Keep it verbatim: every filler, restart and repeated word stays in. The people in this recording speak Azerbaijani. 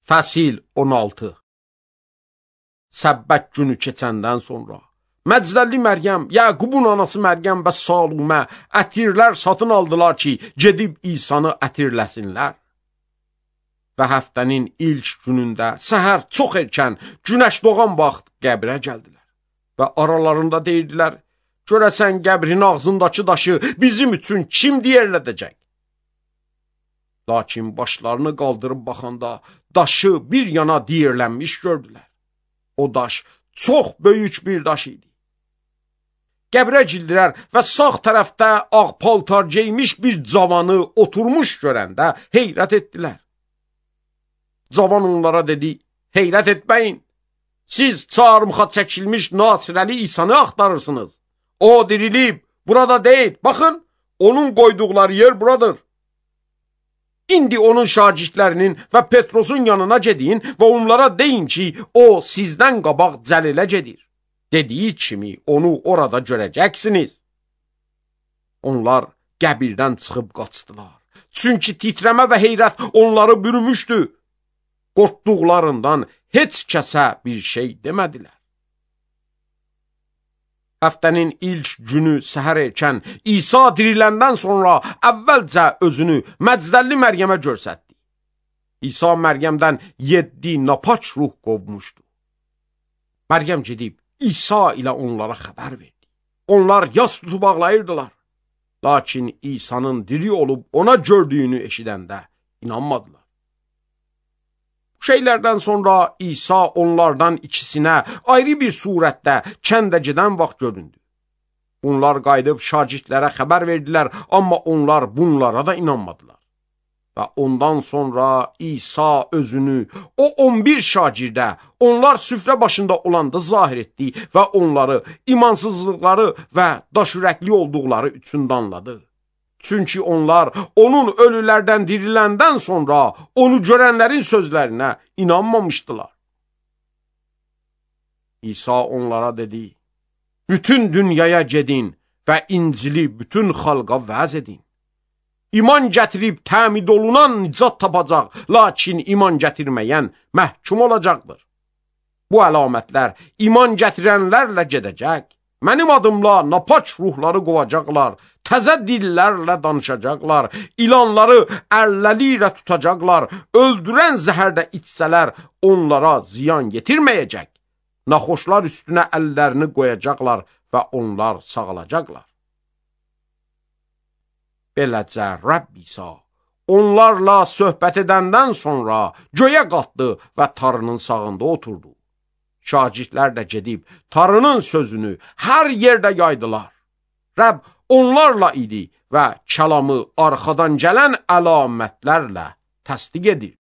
Fəsil on altı. Səbbət günü keçəndən sonra Məcdəlli Məryəm, Yaqubun anası Məryəm və Salumə ətirlər satın aldılar ki, gedib İsanı ətirləsinlər. Və həftənin ilk günündə səhər çox erkən günəş doğan vaxt qəbrə gəldilər. Və aralarında deyirdilər, görəsən qəbrin ağzındakı daşı bizim üçün kim diyərlədəcək? Lakin başlarını qaldırıb baxanda daşı bir yana diyirlənmiş gördülər. O daş çox böyük bir daş idi. Qəbrə girdilər və sağ tərəfdə ağ paltar geymiş bir cavanı oturmuş görəndə heyrət etdilər. Cavan onlara dedi, heyrət etməyin. Siz çarmıxa çəkilmiş Nasirəli İsanı axtarırsınız. O dirilib, burada deyil. Baxın, onun qoyduqları yer buradır. İndi onun şagirdlərinin və Petrosun yanına gedin və onlara deyin ki, o sizdən qabaq Cəlilə gedir. Dediyi kimi onu orada görəcəksiniz. Onlar qəbirdən çıxıb qaçdılar. Çünki titrəmə və heyrət onları bürümüşdü. Qorxduqlarından heç kəsə bir şey demədilər. Həftənin ilk günü səhər erkən İsa diriləndən sonra əvvəlcə özünü Məcdəlli Məryəmə göstərdi. İsa Məryəmdən yeddi napaç ruh qovmuşdu. Məryəm gedib İsa ilə onlara xəbər verdi. Onlar yas tutub ağlayırdılar. Lakin İsa'nın diri olub ona gördüyünü eşidəndə inanmadılar. Bu şeylərdən sonra İsa onlardan ikisinə ayrı bir surətdə kəndə gedən vaxt göründü. Onlar qayıdıb şagirdlərə xəbər verdilər, amma onlar bunlara da inanmadılar. Və ondan sonra İsa özünü o on bir şagirdə onlar süfrə başında olanda zahir etdi və onları imansızlıqları və daşürəkli olduqları üçün danladı. Çünki onlar onun ölülərdən diriləndən sonra onu görənlərin sözlərinə inanmamışdılar. İsa onlara dedi, bütün dünyaya gedin və İncili bütün xalqa vəz edin. İman gətirib təmid olunan nicat tapacaq, lakin iman gətirməyən məhkum olacaqdır. Bu əlamətlər iman gətirənlərlə gedəcək. Mənim adımla napaç ruhları qovacaqlar, təzə dillərlə danışacaqlar, ilanları əlləri ilə tutacaqlar, öldürən zəhərdə içsələr onlara ziyan yetirməyəcək. Naxoşlar üstünə əllərini qoyacaqlar və onlar sağalacaqlar. Beləcə Rəbb İsa onlarla söhbət edəndən sonra göyə qalxdı və tarının sağında oturdu. Şagirdlər də gedib tarının sözünü hər yerdə yaydılar. Rəbb onlarla idi və kəlamı arxadan gələn əlamətlərlə təsdiq edir.